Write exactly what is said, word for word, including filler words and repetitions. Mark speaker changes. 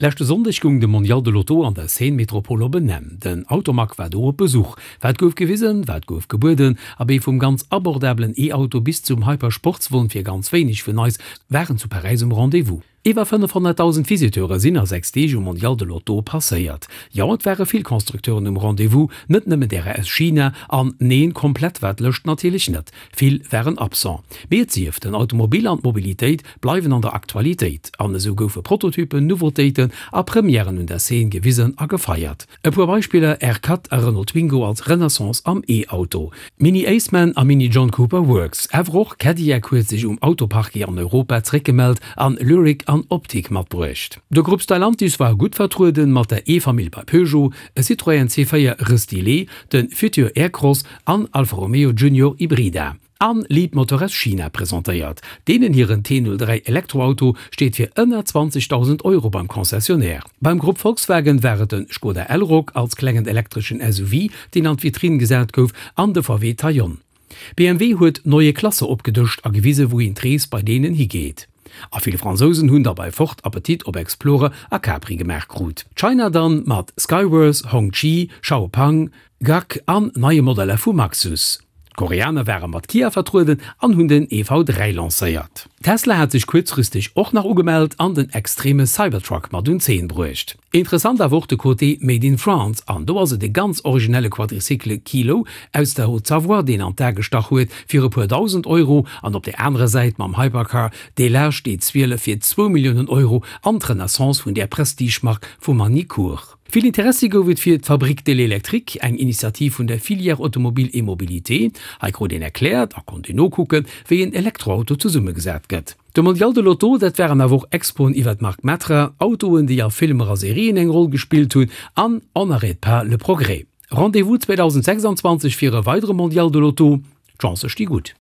Speaker 1: Leschte Sonndeg goung de Mondial de l'Auto an der Seine-Metropole op en Enn. Den Automag war do op Besuch. Wat gouf gewisen, wat gouf gebueden? Abee vum ganz abordabelen E-Auto bis zum Hyper-Sportswon fir ganz wéineg vun eis waren zu Paräis um Rendez-vous. Iwwer fënnefhonnertdausend Visiteure sinn a sechs Deeg um Mondial de l'Auto passéiert. Jo, et ware vill Constructeuren um Rendez-vous, net nëmmen därer aus China, an neen, komplett war d'Lëscht natierlech net, vill waren absent. Mee et sief, den Automobil an d'Mobilitéit bleiwen an der Aktualitéit, an esou goufe Prototypen, Nouveautéiten a Premièren un der Scene gewisen a gefeiert. E puer Beispiller, R Cut a Renault Twingo als Renaissance am E-Auto, Mini Aceman a Mini John Cooper Works. Awer och Cadillac huet sech um Autoparquet an Europa zeréckgemellt an Lyriq an Optiq matbruecht. De Grupp Stellantis war gutt vertrueden mat der E-Famill bei Peugeot, e Citroën C véier Restylé, de Futur Aircross an Alfa Romeo Junior Ibrida. An Leapmotor aus China presentéiert. Deenen hiren T null dräi Elektroauto steet fir ënner zwanzegdausend Euro beim Concessionnaire. Beim Grupp Volkswagen war et de Skoda Elroq als klengen elektreschen S U V, deen an d'Vitrinn gesat gouf, an de V W Taion. B M W huet neue Klasse opgedëscht a gewise wouhin d'Rees bei deenen higeet. A vill Fransousen hunn da bei Ford Appetit op Explorer a Capri gemaach krut. China dann mat Skyworth, Hongqi, Xiaopeng, G A C an neie Modeller vu Maxus. D'Koreaner ware mat Kia vertrueden an hunn den E V dräi lancéiert. Tesla hat sech kuerzfristeg och nach ugemellt an den extreme Cybertruck mat un d'Zeen bruecht. Interessant awer och de Côté Made in France, an do ass et e ganz originelle Quadricycle Kilo aus der Haute-Savoie, deen an d'A gestach huet fir e puer dausend Euro, an op der anerer Säit mam Hypercar Delage D zwielef fir zwou Milliounen Euro an d'Renaissance vun där Prestige-Mark vu Magny-Cours. Vill Interessi gouf et fir d'Fabrique de l'électrique, eng Initiativ vun der Filière Automobile et Mobilité. Hei krut een erkläert a konnt een nokucken, wéi een Elektroauto zesummegesat gëtt. De Mondial de l'Auto, dat waren awer och Expoen iwwer d'Mark Matra, Autoen, déi a Filmer a Serien eng Roll gespillt hunn, an On n'arrête pas le progrès. Rendez-vous zweedausendsechsanzwanzeg fir e weidere Mondial de l'Auto, d'Chancë sti gutt.